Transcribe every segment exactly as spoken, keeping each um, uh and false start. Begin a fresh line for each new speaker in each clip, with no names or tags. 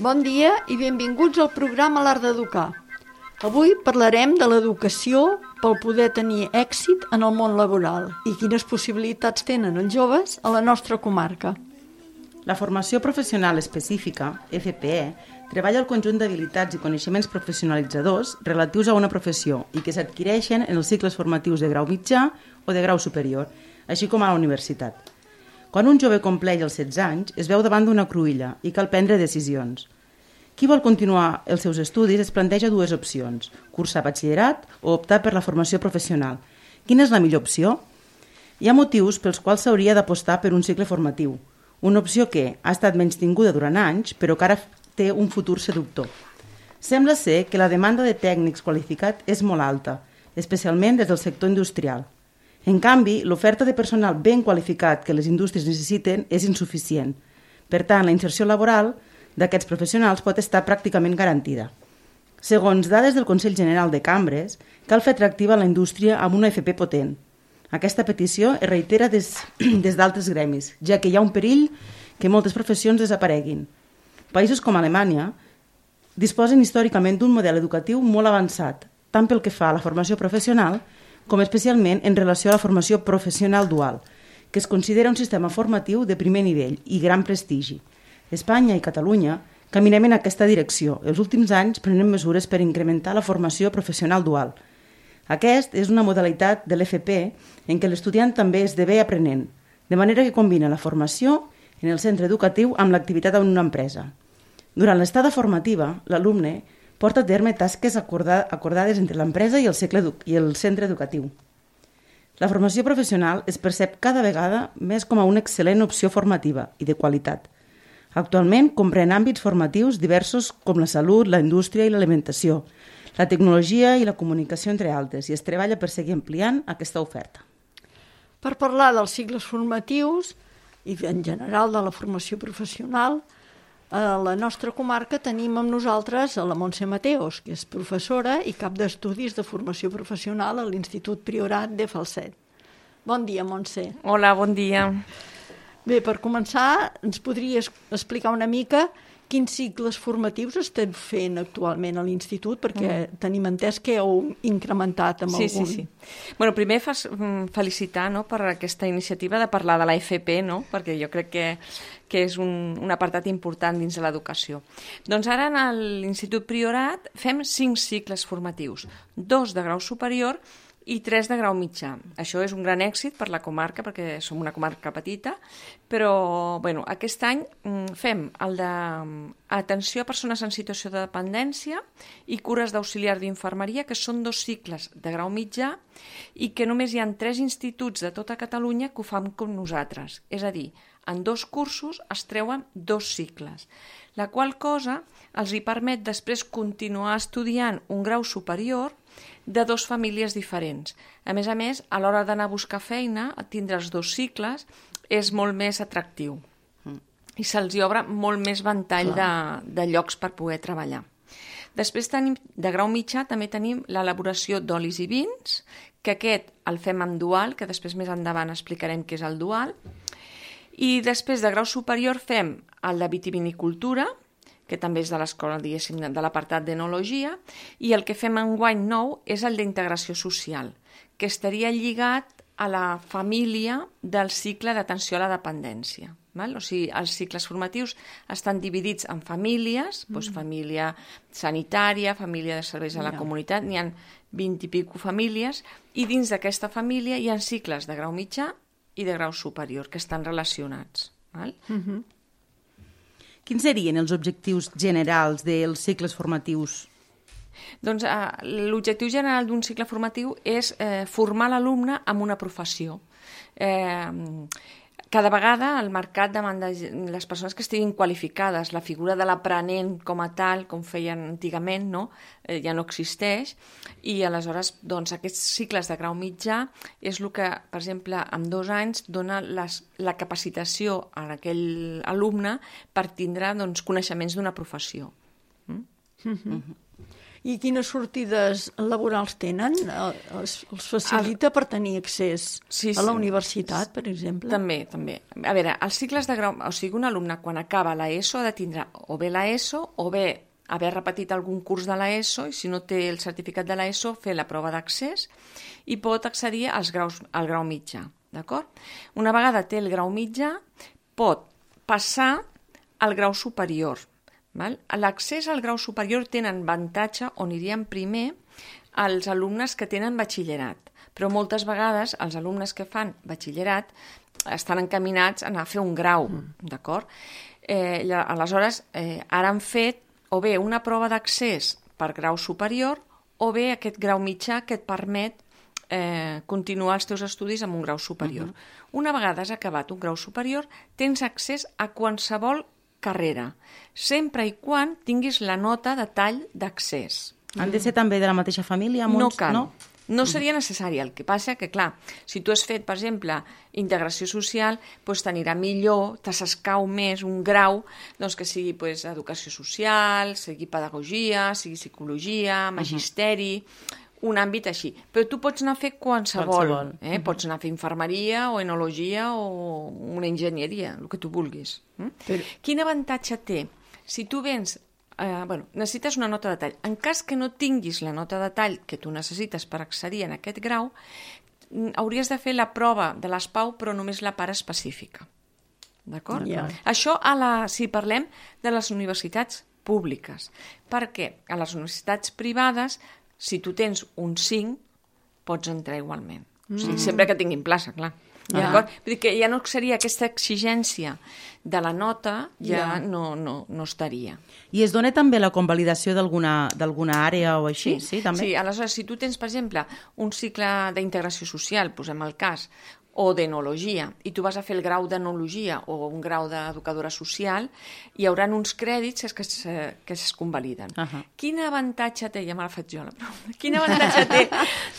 Bon dia i benvinguts al programa L'Art d'Educar. Avui parlarem de l'educació per poder tenir èxit en el món laboral i quines possibilitats tenen els joves a la nostra comarca.
La formació professional específica, F P E, treballa el conjunt d'habilitats i coneixements professionalitzadors relatius a una professió i que s'adquireixen en els cicles formatius de grau mitjà o de grau superior, així com a la universitat. Quan un jove compleix els setze anys, es veu davant d'una cruïlla i cal prendre decisions. Qui vol continuar els seus estudis es planteja dues opcions, cursar batxillerat o optar per la formació professional. Quina és la millor opció? Hi ha motius pels quals s'hauria d'apostar per un cicle formatiu, una opció que ha estat menystinguda durant anys, però que ara té un futur seductor. Sembla ser que la demanda de tècnics qualificats és molt alta, especialment des del sector industrial. En canvi, l'oferta de personal ben qualificat que les indústries necessiten és insuficient. Per tant, la inserció laboral d'aquests professionals pot estar pràcticament garantida. Segons dades del Consell General de Cambres, cal fer atractiva la indústria amb una F P potent. Aquesta petició es reitera des, des d'altres gremis, ja que hi ha un perill que moltes professions desapareguin. Països com Alemanya disposen històricament d'un model educatiu molt avançat, tant pel que fa a la formació professional com especialment en relació a la formació professional dual, que es considera un sistema formatiu de primer nivell i gran prestigi. Espanya i Catalunya caminem en aquesta direcció. Els últims anys prenem mesures per incrementar la formació professional dual. Aquest és una modalitat de l'F P en què l'estudiant també esdevé aprenent, de manera que combina la formació en el centre educatiu amb l'activitat en una empresa. Durant l'estada formativa, l'alumne porta a terme tasques acordades entre l'empresa i el, i el centre educatiu. La formació professional es percep cada vegada més com a una excel·lent opció formativa i de qualitat. Actualment comprèn àmbits formatius diversos com la salut, la indústria i l'alimentació, la tecnologia i la comunicació, entre altres, i es treballa per seguir ampliant aquesta oferta.
Per parlar dels cicles formatius i en general de la formació professional, a la nostra comarca tenim amb nosaltres a la Montse Mateos, que és professora i cap d'estudis de formació professional a l'Institut Priorat de Falset. Bon dia, Montse.
Hola, bon dia.
Bé, per començar, ens podries explicar una mica quins cicles formatius estem fent actualment a l'Institut, perquè mm. tenim entès que heu incrementat amb
sí,
algun...
Sí, sí. Bueno, primer fas, felicitar no, per aquesta iniciativa de parlar de la F P, no? Perquè jo crec que, que és un, un apartat important dins de l'educació. Doncs ara a l'Institut Priorat fem cinc cicles formatius, dos de grau superior i tres de grau mitjà. Això és un gran èxit per la comarca, perquè som una comarca petita, però bueno, aquest any fem el d'atenció a persones en situació de dependència i cures d'auxiliar d'infermeria, que són dos cicles de grau mitjà i que només hi ha tres instituts de tota Catalunya que ho fan com nosaltres. És a dir, en dos cursos es treuen dos cicles, la qual cosa els hi permet després continuar estudiant un grau superior de dues famílies diferents. A més a més, a l'hora d'anar a buscar feina, tindre els dos cicles és molt més atractiu i se'ls obre molt més ventall de, de llocs per poder treballar. Després tenim, de grau mitjà també tenim l'elaboració d'olis i vins, que aquest el fem amb dual, que després més endavant explicarem què és el dual. I després de grau superior fem el de vitivinicultura, que també és de l'escola, diguéssim, de l'apartat d'enologia, i el que fem enguany nou és el d'integració social, que estaria lligat a la família del cicle d'atenció a la dependència. Val? O sigui, els cicles formatius estan dividits en famílies, mm. doncs família sanitària, família de serveis a la yeah. comunitat, n'hi ha vint i pico famílies, i dins d'aquesta família hi ha cicles de grau mitjà i de grau superior, que estan relacionats. Val?
Mm-hmm.
Quins serien els objectius generals dels cicles formatius?
Doncs eh, l'objectiu general d'un cicle formatiu és eh, formar l'alumne en una professió. Eh, cada vegada el mercat demanda les persones que estiguin qualificades, la figura de l'aprenent com a tal, com feien antigament, no? eh, ja no existeix, i aleshores doncs, aquests cicles de grau mitjà és el que, per exemple, en dos anys dona les, la capacitació a aquell alumne per tindre doncs, coneixements d'una professió. Mm?
Mm-hmm. I quines sortides laborals tenen? Els, els facilita per tenir accés
sí, sí.
a la universitat, per exemple?
També, també. A veure, els cicles de grau... O sigui, un alumne quan acaba l'ESO ha de tindre o bé l'ESO o bé haver repetit algun curs de l'ESO i si no té el certificat de l'ESO fer la prova d'accés i pot accedir als graus, al grau mitjà, d'acord? Una vegada té el grau mitjà pot passar al grau superior. L'accés al grau superior tenen avantatge on anirien primer els alumnes que tenen batxillerat, però moltes vegades els alumnes que fan batxillerat estan encaminats a anar a fer un grau, mm. d'acord? Eh, aleshores, eh, ara han fet o bé una prova d'accés per grau superior o bé aquest grau mitjà que et permet eh, continuar els teus estudis amb un grau superior. Mm-hmm. Una vegada has acabat un grau superior, tens accés a qualsevol carrera, sempre i quan tinguis la nota de tall d'accés.
Han de ser també de la mateixa família?
No cal. No? No seria necessari. El que passa que, clar, si tu has fet, per exemple, integració social, doncs t'anirà millor, t'escau més un grau doncs, que sigui doncs, educació social, sigui pedagogia, sigui psicologia, magisteri... Uh-huh. Un àmbit així. Però tu pots anar a fer qualsevol. qualsevol. Eh? Uh-huh. Pots anar a fer infermeria o enologia o una enginyeria, el que tu vulguis. Mm? Però... Quin avantatge té? Si tu vens... Eh, bueno, necessites una nota de tall. En cas que no tinguis la nota de tall que tu necessites per accedir en aquest grau, hauries de fer la prova de l'S P A U, però només la part específica. D'acord? Yeah. Això a la, si parlem de les universitats públiques. Perquè a les universitats privades si tu tens un cinc, pots entrar igualment. Mm. O sigui, sempre que tinguin plaça, clar. Ja. Vull dir que ja no seria aquesta exigència de la nota, ja, ja. No, no, no estaria.
I es dona també la convalidació d'alguna àrea o així?
Sí,
sí, també.
Sí, aleshores, si tu tens, per exemple, un cicle d'integració social, posem el cas, o d'enologia, i tu vas a fer el grau d'enologia o un grau d'educadora social, hi haurà uns crèdits que es, que es convaliden. Uh-huh. Quin avantatge té, ja me la faig jo la pregunta, quin avantatge té,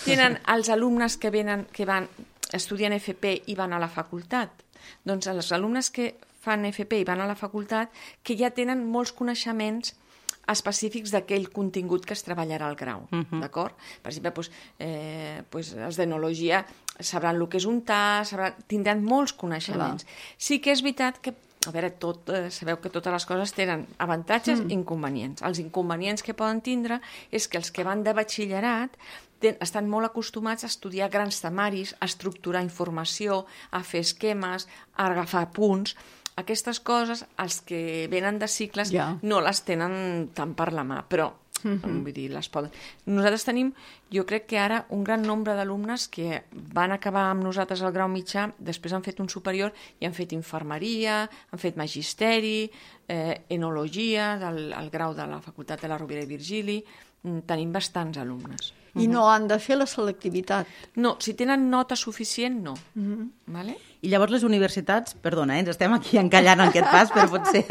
tenen els alumnes que, venen, que van estudien F P i van a la facultat? Doncs els alumnes que fan F P i van a la facultat que ja tenen molts coneixements específics d'aquell contingut que es treballarà al grau, uh-huh. d'acord? Per exemple, doncs, eh, doncs els d'enologia sabran el que és un T A, sabran, tindran molts coneixements. Clar. Sí que és veritat que, a veure, tot, eh, sabeu que totes les coses tenen avantatges i mm. inconvenients. Els inconvenients que poden tindre és que els que van de batxillerat ten, estan molt acostumats a estudiar grans temaris, a estructurar informació, a fer esquemes, a agafar punts. Aquestes coses, els que venen de cicles, ja. No les tenen tant per la mà, però uh-huh. vull dir, les poden. Nosaltres tenim, jo crec que ara, un gran nombre d'alumnes que van acabar amb nosaltres al grau mitjà, després han fet un superior i han fet infermeria, han fet magisteri, eh, enologia, del, el grau de la Facultat de la Rovira i Virgili. Tenim bastants alumnes.
I no han de fer la selectivitat?
No, si tenen nota suficient, no.
Uh-huh.
Vale?
I llavors les universitats, perdona, eh, ens estem aquí encallant en aquest pas, però potser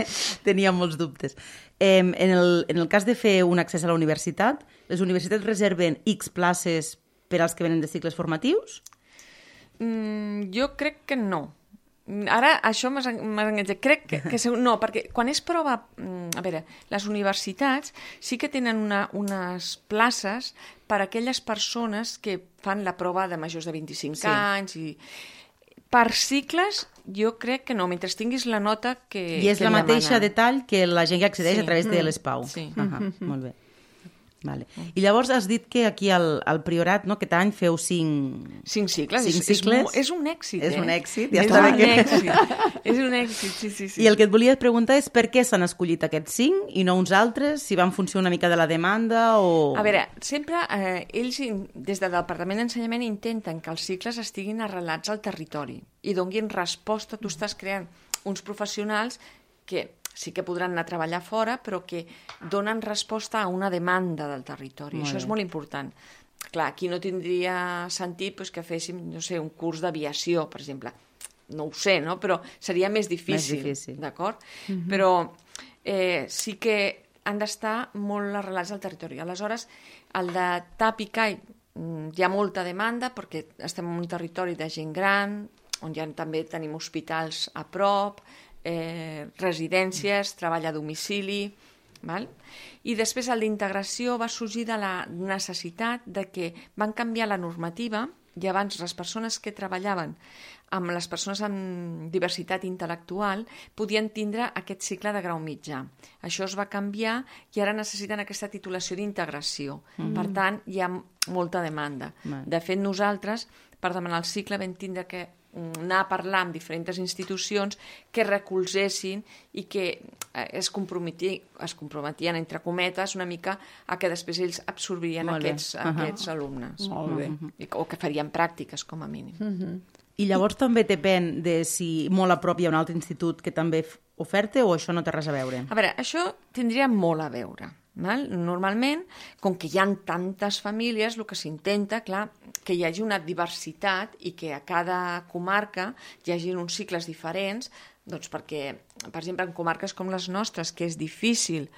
tenia molts dubtes. Eh, en, el, en el cas de fer un accés a la universitat, les universitats reserven X places per als que venen de cicles formatius?
Mm, jo crec que no. Ara, això m'has enganxat. Crec que, que no, perquè quan és prova... A veure, les universitats sí que tenen una, unes places per a aquelles persones que fan la prova de majors de vint-i-cinc sí. anys i... Per cicles, jo crec que no, mentre tinguis la nota que
I és
que
la mateixa
demana.
Detall que la gent que accedeix
sí.
a través de
mm.
l'S P A U.
Sí.
Uh-huh. Mm-hmm. Molt bé. Vale. I llavors has dit que aquí al, al Priorat, no, aquest any feu cinc...
Cinc cicles.
Cinc
és,
cicles.
És, és un èxit,
És
eh?
un èxit, ja
és
està bé
un
que...
èxit. És un èxit, sí, sí, sí.
I el que et volia preguntar és per què s'han escollit aquests cinc i no uns altres, si van funcionar una mica de la demanda o...
A veure, sempre eh, ells, des del Departament d'Ensenyament, intenten que els cicles estiguin arrelats al territori i donguin resposta. Tu estàs creant uns professionals que... sí que podran anar a treballar fora, però que donen resposta a una demanda del territori. Molt Això bé. És molt important. Clar, aquí no tindria sentit pues, que féssim, no sé, un curs d'aviació, per exemple. No ho sé, no? Però seria més difícil,
més difícil.
D'acord? Mm-hmm. Però eh, sí que han d'estar molt arrelats al territori. Aleshores, el de T A P i C A I hi ha molta demanda perquè estem en un territori de gent gran, on ja també tenim hospitals a prop, Eh, residències, treball a domicili, Val? I després el d'integració va sorgir de la necessitat de que van canviar la normativa i abans les persones que treballaven amb les persones amb diversitat intel·lectual podien tindre aquest cicle de grau mitjà. Això es va canviar i ara necessiten aquesta titulació d'integració. Mm. Per tant, hi ha molta demanda. Mm. De fet, nosaltres, per demanar el cicle, vam tindre que anar a parlar amb diferents institucions que recolzessin i que es comprometien, es comprometien entre cometes, una mica a que després ells absorbirien aquests, uh -huh. aquests alumnes.
Molt bé.
Uh -huh. O que farien pràctiques, com a mínim. Uh -huh.
I llavors també depèn de si molt a prop hi ha un altre institut que també oferta o això no té res a veure?
A veure, això tindria molt a veure. Val? Normalment, com que hi ha tantes famílies, el que s'intenta, clar, que hi hagi una diversitat i que a cada comarca hi hagi uns cicles diferents, doncs perquè, per exemple, en comarques com les nostres, que és difícil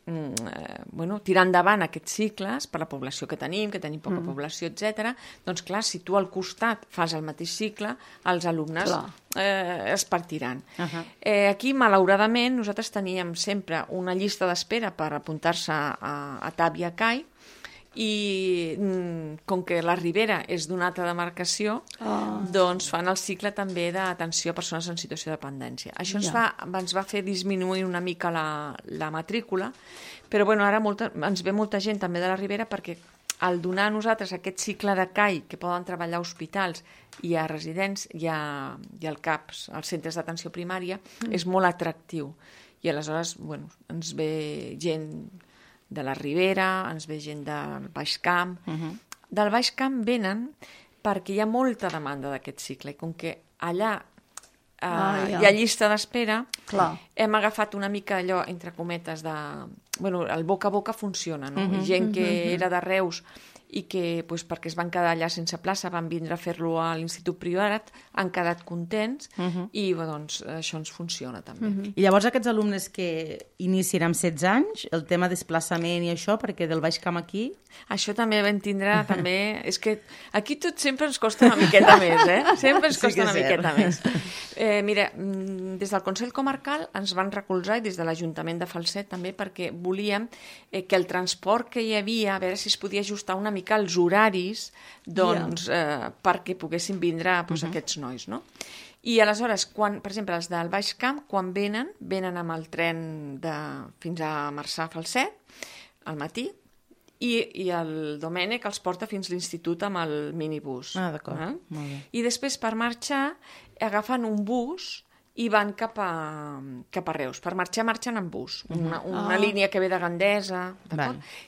eh, bueno, tirar endavant aquests cicles per la població que tenim, que tenim poca mm. població, etcètera, doncs clar, si tu al costat fas el mateix cicle, els alumnes eh, es partiran. Uh -huh. eh, aquí, malauradament, nosaltres teníem sempre una llista d'espera per apuntar-se a, a T A B i a C A I, i mm, com que la Ribera és d'una altra demarcació, oh. doncs fan el cicle també d'atenció a persones en situació de dependència. Això ens, ja. fa, ens va fer disminuir una mica la, la matrícula, però bueno, ara molta, ens ve molta gent també de la Ribera perquè al donar a nosaltres aquest cicle de C A I que poden treballar a hospitals i a residents i, a, i al C A Ps, als centres d'atenció primària, mm. és molt atractiu. I aleshores, bueno, ens ve gent de la Ribera, ens ve gent del Baix Camp. Uh -huh. Del Baix Camp venen perquè hi ha molta demanda d'aquest cicle i com que allà eh, ah, ja. hi ha llista d'espera, hem agafat una mica allò, entre cometes, de... Bueno, el boca a boca funciona, no? Uh -huh, gent que uh -huh. era de Reus i que, doncs, perquè es van quedar allà sense plaça, van vindre a fer-lo a l'Institut Priorat, han quedat contents uh -huh. i doncs, això ens funciona també. Uh -huh.
I llavors aquests alumnes que inicien amb setze anys, el tema desplaçament i això, perquè del Baix Camp aquí...
Això també vam tindre, també... És que aquí tot sempre ens costa una miqueta més, eh? Sempre ens costa sí una miqueta més. Eh, mira, des del Consell Comarcal ens van recolzar, i des de l'Ajuntament de Falset també, perquè volíem eh, que el transport que hi havia, a veure si es podia ajustar una mica als horaris, doncs, yeah. eh, perquè poguessin vindre doncs, uh -huh. aquests nois, no? I aleshores, quan, per exemple, els del Baix Camp, quan venen, venen amb el tren de, fins a Marçà, Falset, al matí, i, i el Domènec els porta fins a l'institut amb el minibús.
Ah, d'acord. Eh? Molt bé.
I després, per marxar, agafen un bus i van cap a, cap a Reus. Per marxar, marxen en bus. Una, una oh. línia que ve de Gandesa.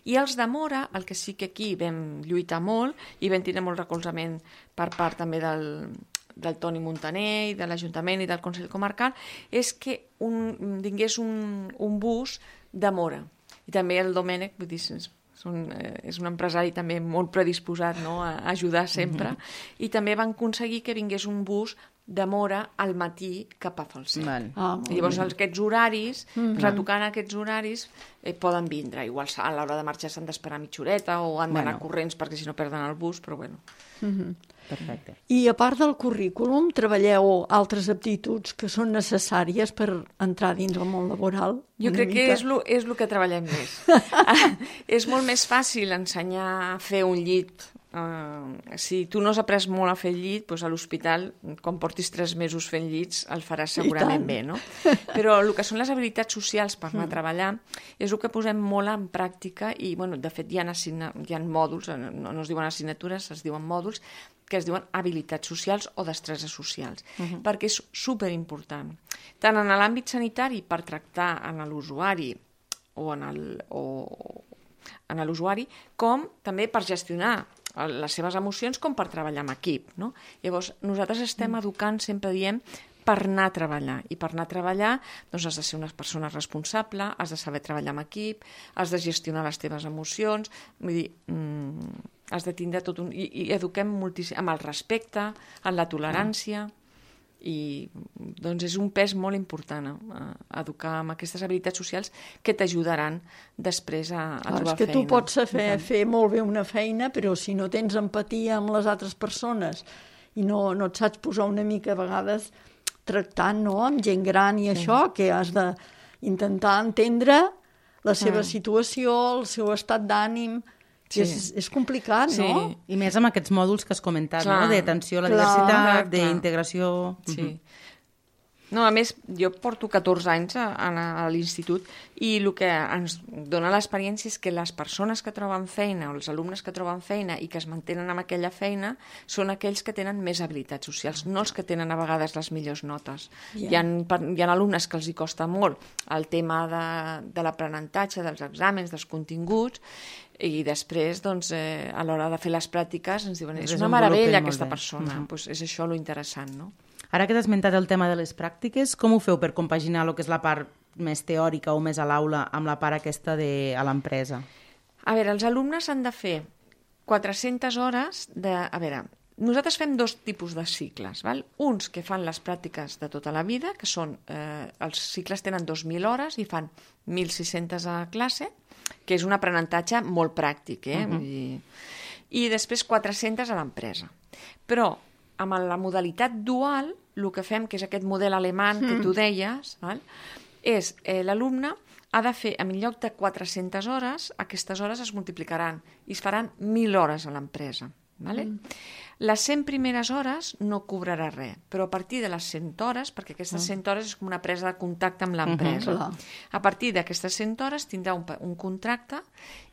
I els de Mora, el que sí que aquí vam lluitar molt, i vam tenir molt recolzament per part també del, del Toni Montaner i de l'Ajuntament i del Consell Comarcal, és que un, vingués un, un bus de Mora. I també el Domènec, vull dir, Són, eh, és un empresari també molt predisposat, no?, a ajudar sempre, mm-hmm. i també van aconseguir que vingués un bus de Mora al matí cap a Falset. Ah, I llavors bé. aquests horaris, mm-hmm. retocant aquests horaris, eh, poden vindre. Igual a l'hora de marxar s'han d'esperar mitja horeta o han d'anar bueno. corrents perquè si no perden el bus, però bueno.
Mm-hmm. Perfecte. I a part del currículum, treballeu altres aptituds que són necessàries per entrar dins el món laboral?
Jo crec mica? que és lo, és lo que treballem més. És molt més fàcil ensenyar a fer un llit. Uh, si tu no has après molt a fer llit, doncs a l'hospital, quan portis tres mesos fent llits, el faràs segurament bé, no? Però el que són les habilitats socials per anar a treballar és el que posem molt en pràctica i, bueno, de fet, hi ha, assigna... hi ha mòduls, no, no es diuen assignatures, es diuen mòduls, que es diuen habilitats socials o destreses socials, uh-huh. perquè és superimportant. Tant en l'àmbit sanitari, per tractar en l'usuari o en el... o en l'usuari, com també per gestionar les seves emocions com per treballar en equip, no? Llavors, nosaltres estem educant, sempre diem, per anar a treballar. I per anar a treballar doncs has de ser una persona responsable, has de saber treballar en equip, has de gestionar les teves emocions, vull dir, mm, has de tindre tot un... I, i eduquem moltíssim amb el respecte, en la tolerància... i doncs és un pes molt important eh? educar amb aquestes habilitats socials que t'ajudaran després a, a trobar feina. És que
tu pots fer, fer molt bé una feina, però si no tens empatia amb les altres persones i no, no et saps posar una mica a vegades tractant, no?, amb gent gran i sí. això, que has d'intentar entendre la seva situació, el seu estat d'ànim. Sí. És, és complicat,
sí.
no?
I més amb aquests mòduls que has comentat,
clar.
no? D'atenció a la
Clar.
diversitat,
Clar.
d'integració...
Sí. No, a més, jo porto catorze anys a, a, a l'institut i el que ens dona l'experiència és que les persones que troben feina o els alumnes que troben feina i que es mantenen amb aquella feina són aquells que tenen més habilitats socials, no els que tenen a vegades les millors notes.
Yeah.
Hi ha, hi ha alumnes que els hi costa molt el tema de, de l'aprenentatge, dels exàmens, dels continguts, i després, doncs, eh, a l'hora de fer les pràctiques ens diuen, és una meravella aquesta persona. Mm-hmm. Pues és això lo interessant, no?
Ara que t'has esmentat el tema de les pràctiques, com ho feu per compaginar el que és la part més teòrica o més a l'aula amb la part aquesta de, a l'empresa?
A veure, els alumnes han de fer quatre-centes hores de... A veure, nosaltres fem dos tipus de cicles, val? Uns que fan les pràctiques de tota la vida, que són... Eh, els cicles tenen dos mil hores i fan mil sis-centes a classe, que és un aprenentatge molt pràctic, eh? Uh-huh. I, I després quatre-centes a l'empresa. Però amb la modalitat dual, el que fem, que és aquest model alemany que tu deies, val? És eh, l'alumne ha de fer, en lloc de quatre-centes hores, aquestes hores es multiplicaran i es faran mil hores a l'empresa. Vale? Mm. Les cent primeres hores no cobrarà res, però a partir de les cent hores, perquè aquestes cent hores és com una presa de contacte amb l'empresa, uh-huh. a partir d'aquestes cent hores tindrà un, un contracte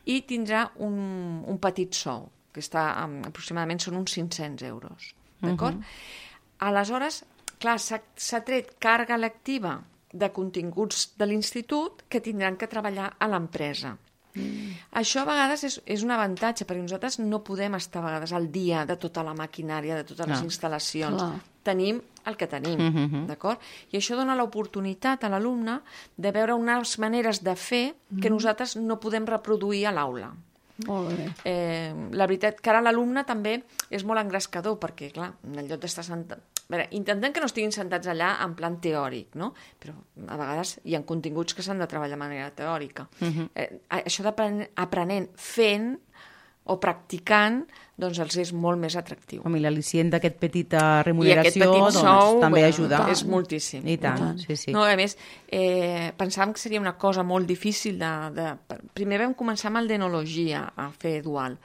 i tindrà un, un petit sou, que està um, aproximadament són uns cinc-cents euros. D'acord? Uh-huh. Aleshores, clar, s'ha tret càrrega lectiva de continguts de l'institut que tindran que treballar a l'empresa. Mm. Això a vegades és, és un avantatge, perquè nosaltres no podem estar a vegades al dia de tota la maquinària, de totes les instal·lacions. Clar. Tenim el que tenim, mm-hmm. d'acord? I això dona l'oportunitat a l'alumne de veure unes maneres de fer que mm. nosaltres no podem reproduir a l'aula.
Molt bé.
Eh, la veritat que ara l'alumne també és molt engrescador, perquè, clar, en lloc d'estar sentat... A veure, intentem que no estiguin sentats allà en plan teòric, no? Però a vegades hi ha continguts que s'han de treballar de manera teòrica. Uh-huh. eh, això d'aprenent fent o practicant, doncs els és molt més atractiu.
Home, i l'al·licient d'aquest petita remuneració
I aquest petit
doncs,
sou,
també
bueno,
ajuda.
És moltíssim.
I tant, tant. sí, sí.
No, a més, eh, pensàvem que seria una cosa molt difícil de, de... Primer vam començar amb el d'enologia a fer dual.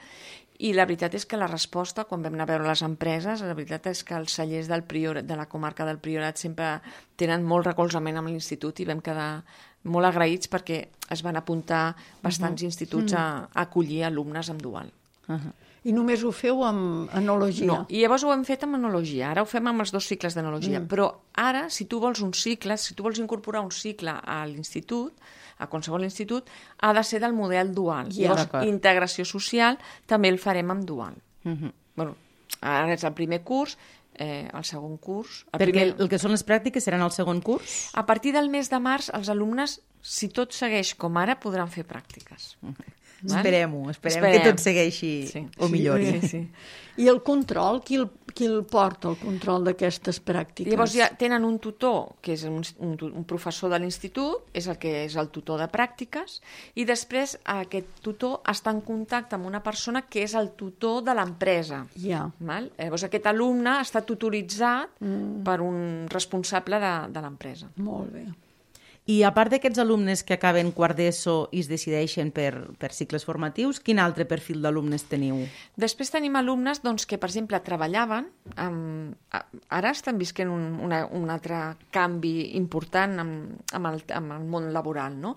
I la veritat és que la resposta, quan vam anar a veure les empreses, la veritat és que els cellers del Priorat, de la comarca del Priorat sempre tenen molt recolzament amb l'institut i vam quedar molt agraïts perquè es van apuntar bastants uh-huh. instituts a, a acollir alumnes amb dual.
Uh-huh.
I només ho feu amb enologia?
No, i llavors ho hem fet amb enologia. Ara ho fem amb els dos cicles d'enologia. Mm. Però ara, si tu vols un cicle, si tu vols incorporar un cicle a l'institut, a qualsevol institut, ha de ser del model dual.
Ja,
llavors,
d'acord.
integració social també el farem amb dual.
Uh-huh.
Bueno, ara és el primer curs, eh, el segon curs... El
Perquè
primer...
el que són les pràctiques seran el segon curs?
A partir del mes de març, els alumnes, si tot segueix com ara, podran fer pràctiques.
Uh-huh. Esperem-ho, esperem,
esperem
que tot segueixi
sí.
o millori.
Sí, sí.
I el control, qui el, qui el porta, el control d'aquestes pràctiques?
Llavors ja tenen un tutor, que és un, un, un professor de l'institut, és el que és el tutor de pràctiques, i després aquest tutor està en contacte amb una persona que és el tutor de l'empresa.
Ja.
Val? Llavors aquest alumne està tutoritzat mm. per un responsable de, de l'empresa.
Molt bé.
I a part d'aquests alumnes que acaben quart d'ESO i es decideixen per, per cicles formatius, quin altre perfil d'alumnes teniu?
Després tenim alumnes doncs, que, per exemple, treballaven, amb... ara estan visquent un, una, un altre canvi important amb, amb, el, amb el món laboral, no?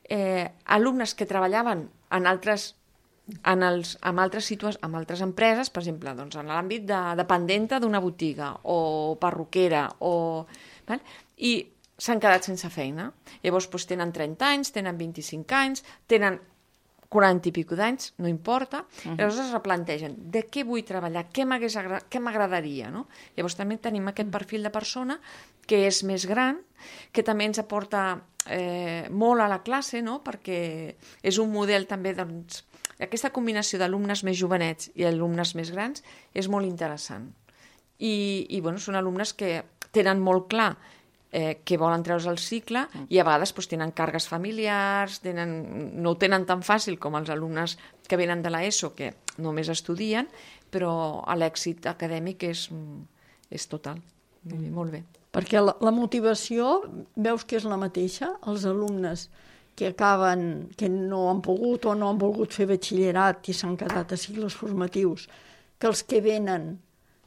Eh, alumnes que treballaven en altres en els, amb, altres situa- amb altres empreses, per exemple, doncs, en l'àmbit de dependenta d'una botiga o perruquera, o... Val? I s'han quedat sense feina. Llavors doncs, tenen trenta anys, tenen vint-i-cinc anys, tenen quaranta i pico d'anys, no importa. Uh-huh. Llavors es replantegen de què vull treballar, què m'hagués agra- què m'agradaria. No? Llavors també tenim aquest perfil de persona que és més gran, que també ens aporta eh, molt a la classe, no? Perquè és un model també, doncs, aquesta combinació d'alumnes més jovenets i alumnes més grans és molt interessant. I, i bueno, són alumnes que tenen molt clar Eh, que volen treure's el cicle i a vegades doncs, tenen càrregues familiars, tenen, no ho tenen tan fàcil com els alumnes que venen de l'ESO, que només estudien, però l'èxit acadèmic és, és total. Mm. Molt bé.
Perquè la, la motivació, veus que és la mateixa, els alumnes que acaben, que no han pogut o no han volgut fer batxillerat i s'han quedat a cicles formatius, que els que venen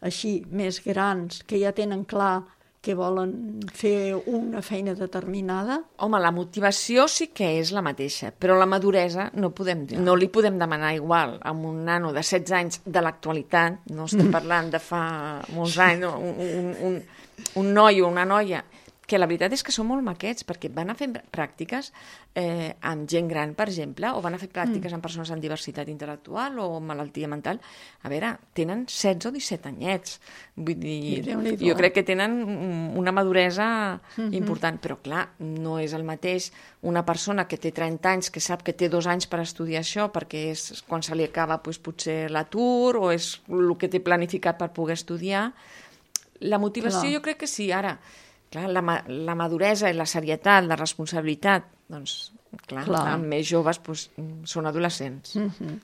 així, més grans, que ja tenen clar que volen fer una feina determinada?
Home, la motivació sí que és la mateixa, però la maduresa no, podem, no li podem demanar igual a un nano de setze anys de l'actualitat, no estem parlant de fa molts anys, no? un, un, un, un noi o una noia, que la veritat és que són molt maquets, perquè van a fer pràctiques eh, amb gent gran, per exemple, o van a fer pràctiques mm. amb persones amb diversitat intel·lectual o malaltia mental. A veure, tenen setze o disset anyets. Vull dir, jo crec que tenen una maduresa mm-hmm. important, però clar, no és el mateix una persona que té trenta anys, que sap que té dos anys per estudiar això, perquè és quan se li acaba doncs, potser l'atur, o és el que té planificat per poder estudiar. La motivació clar. Jo crec que sí, ara... Clar, la, la maduresa i la serietat, la responsabilitat, doncs, clar, clar. Amb més joves doncs, són adolescents.
Mm-hmm.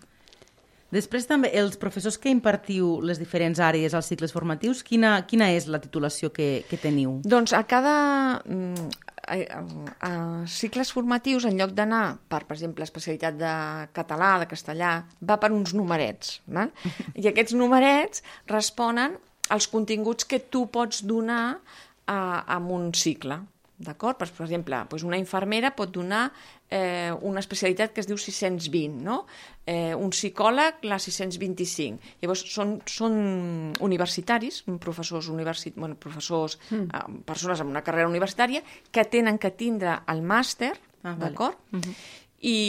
Després també, els professors que impartiu les diferents àrees als cicles formatius, quina, quina és la titulació que, que teniu?
Doncs a cada... A, a, a cicles formatius, en lloc d'anar per, per exemple, especialitat de català, de castellà, va per uns numerets. Val? I aquests numerets responen als continguts que tu pots donar amb un cicle, d'acord? Per, per exemple, doncs una infermera pot donar eh, una especialitat que es diu sis-cents vint, no? Eh, un psicòleg la sis-cents vint-i-cinc. Llavors, són, són universitaris, professors, universi... bueno, professors mm. eh, persones amb una carrera universitària que tenen que tindre el màster, ah, d'acord? Vale. Mm-hmm. I,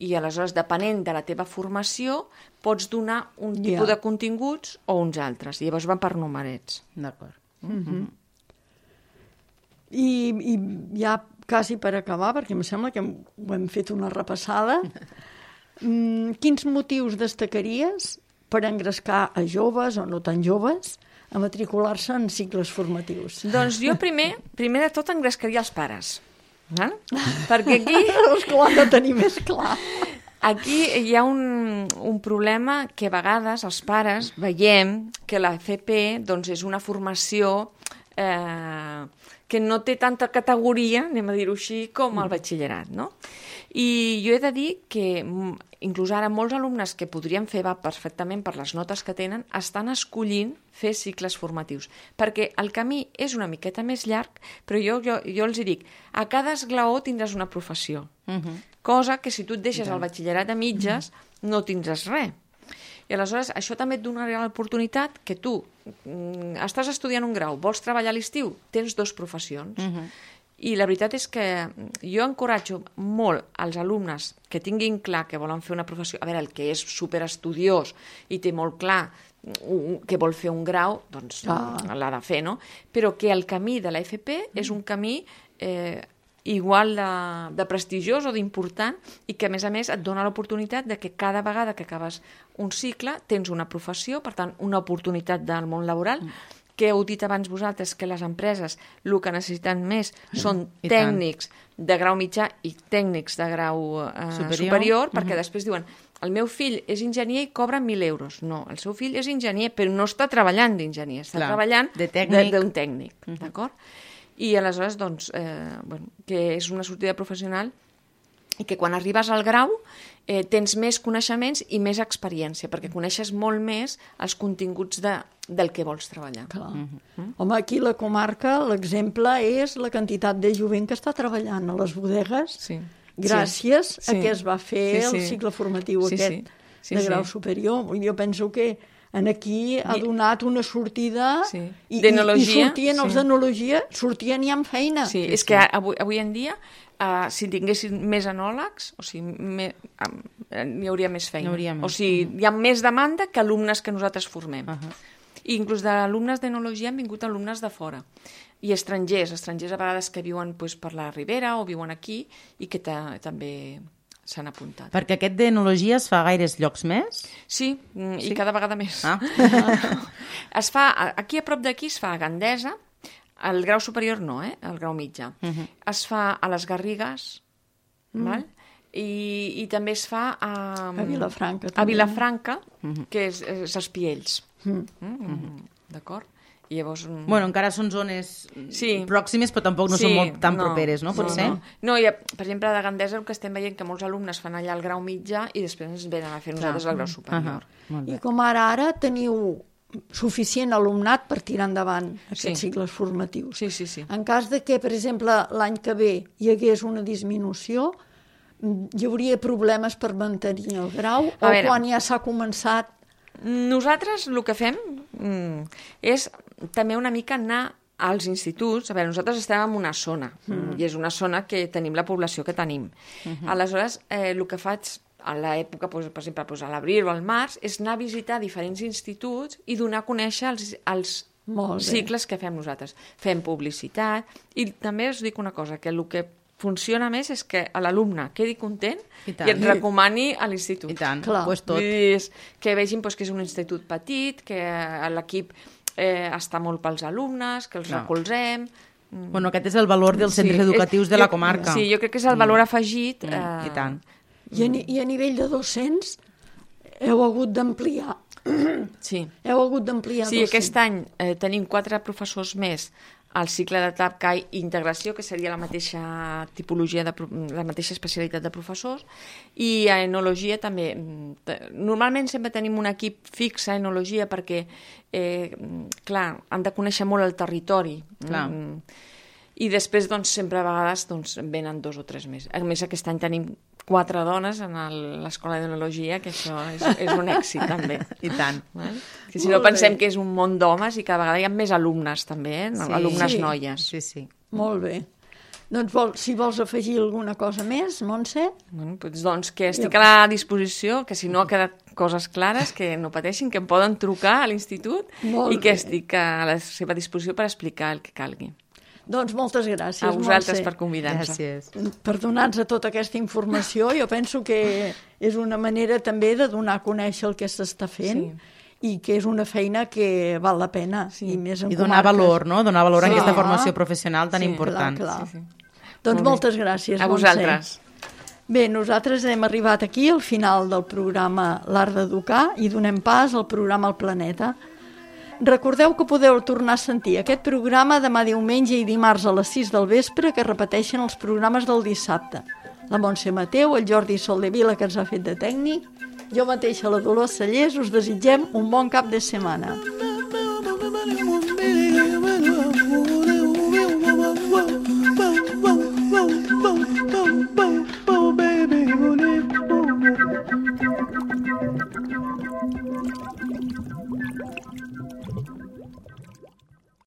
i aleshores, depenent de la teva formació, pots donar un tipus yeah. de continguts o uns altres. I llavors van per numerets.
D'acord.
Mm-hmm. I, i ja quasi per acabar, perquè em sembla que hem, ho hem fet una repassada, mm, quins motius destacaries per engrescar a joves o no tan joves a matricular-se en cicles formatius?
Doncs jo primer, primer de tot engrescaria els pares. Eh? Perquè aquí...
Els que ho han de tenir més clar.
Aquí hi ha un, un problema que a vegades els pares veiem que la F P doncs, és una formació eh, que no té tanta categoria, anem a dir-ho així, com el batxillerat, no? I jo he de dir que inclús ara molts alumnes que podrien fer va perfectament per les notes que tenen estan escollint fer cicles formatius, perquè el camí és una miqueta més llarg, però jo, jo, jo els dic, a cada esglaó tindràs una professió, uh-huh. cosa que si tu et deixes el batxillerat a mitges uh-huh. no tindràs res. I aleshores això també et donarà l'oportunitat que tu mm, estàs estudiant un grau, vols treballar a l'estiu, tens dues professions. Uh-huh. I la veritat és que jo encoratjo molt als alumnes que tinguin clar que volen fer una professió, a veure, el que és superestudiós i té molt clar que vol fer un grau, doncs ah. l'ha de fer, no? Però que el camí de la F P és un camí eh, igual de, de prestigiós o d'important i que, a més a més, et dona l'oportunitat de que cada vegada que acabes un cicle tens una professió, per tant, una oportunitat del món laboral, mm. que heu dit abans vosaltres que les empreses el que necessiten més són I tècnics tant. de grau mitjà i tècnics de grau eh, superior, superior perquè uh-huh. després diuen el meu fill és enginyer i cobra mil euros. No, el seu fill és enginyer, però no està treballant d'enginyer, està Clar, treballant d'un tècnic, de, tècnic uh-huh. d'acord? I aleshores, doncs, eh, bueno, que és una sortida professional i que quan arribes al grau eh, tens més coneixements i més experiència, perquè coneixes molt més els continguts de, del que vols treballar.
Clar. Mm-hmm. Home, aquí a la comarca l'exemple és la quantitat de jovent que està treballant a les bodegues sí. gràcies sí. a que es va fer sí, sí. el cicle formatiu sí, aquest sí. Sí, de grau sí. superior. Jo penso que en aquí ha donat una sortida sí. i, i, i sortien sí. els d'enologia, sortien ja amb feina.
Sí, és que avui, avui en dia Uh, si tinguessin més enòlegs, o sigui, me, uh, hi hauria més feina. Hauria més. O sigui, hi ha més demanda que alumnes que nosaltres formem. Uh-huh. I inclús d'alumnes d'enologia han vingut alumnes de fora. I estrangers, estrangers a vegades que viuen pues, per la Ribera o viuen aquí i que ta, també s'han apuntat.
Perquè aquest d'enologia es fa a gaires llocs més?
Sí, sí. i cada vegada més. Ah. es fa, aquí a prop d'aquí es fa a Gandesa. El grau superior no, eh? El grau mitjà. Uh-huh. Es fa a les Garrigues, uh-huh. val? I, i també es fa a...
A Vilafranca.
També. A Vilafranca, uh-huh. que és, és Espiells. Uh-huh. Uh-huh. D'acord? I llavors...
Bueno, encara són zones
sí.
pròximes, però tampoc no sí, són molt tan no, properes, no? Pot
no,
ser?
No, no i, per exemple, a Gandesa el que estem veient que molts alumnes fan allà el grau mitjà i després ens venen a fer nosaltres el grau superior.
Uh -huh. I com ara ara teniu suficient alumnat per tirar endavant aquests sí. cicles formatius.
Sí, sí, sí.
En cas de que, per exemple, l'any que ve hi hagués una disminució, hi hauria problemes per mantenir el grau a o veure, quan ja s'ha començat?
Nosaltres el que fem mm, és també una mica anar als instituts. A veure, nosaltres estem en una zona mm. i és una zona que tenim la població que tenim. Uh -huh. Aleshores, eh, el que faig a l'època, doncs, per exemple, doncs a l'abril o al març, és anar a visitar diferents instituts i donar a conèixer els, els cicles que fem nosaltres. Fem publicitat i també us dic una cosa, que el que funciona més és que l'alumne quedi content i, i et recomani a l'institut.
I tant, pues tot.
Que vegin pues, que és un institut petit, que l'equip eh, està molt pels alumnes, que els no. recolzem...
Bueno, aquest és el valor dels centres sí, educatius és, de la comarca.
Sí, jo crec que és el valor afegit.
Mm. Eh... I tant.
I a, I a nivell de docents heu hagut d'ampliar.
Sí.
Heu hagut d'ampliar
Sí,
docents.
aquest any eh, tenim quatre professors més al cicle de T A P C A I Integració, que seria la mateixa tipologia, de, la mateixa especialitat de professors, i a Enologia també. Normalment sempre tenim un equip fix a Enologia perquè, eh, clar, han de conèixer molt el territori.
Clar.
Mm, I després, doncs, sempre a vegades doncs, venen dos o tres més. A més, aquest any tenim quatre dones en l'escola d'Enologia, que això és, és un èxit, també.
I tant.
Eh? Que si no pensem que és un món d'homes i cada vegada hi ha més alumnes, també, eh?
Sí.
Alumnes
sí.
noies.
Sí, sí.
Molt bé. Doncs vol, si vols afegir alguna cosa més, Montse?
Bueno, doncs, doncs que estic a la disposició, que si no ha quedat coses clares, que no pateixin, que em poden trucar a l'institut i que estic a la seva disposició per explicar el que calgui.
Doncs moltes gràcies,
a vosaltres
Montse.
per convidar-nos.
Gràcies.
Per donar-nos tota aquesta informació. Jo penso que és una manera també de donar a conèixer el que s'està fent sí. i que és una feina que val la pena.
Sí.
I, més en
I donar
comarques.
valor, no? Donar valor
sí.
a aquesta formació professional tan
sí,
important.
Clar, clar.
Sí, sí.
Doncs
Molt
moltes gràcies,
a
Montse.
vosaltres.
Bé, nosaltres hem arribat aquí al final del programa L'Art d'Educar i donem pas al programa El Planeta. Recordeu que podeu tornar a sentir aquest programa demà diumenge i dimarts a les sis del vespre, que repeteixen els programes del dissabte. La Montse Mateu, el Jordi Soldevila, que ens ha fet de tècnic, jo mateixa, la Dolors Cellers, us desitgem un bon cap de setmana.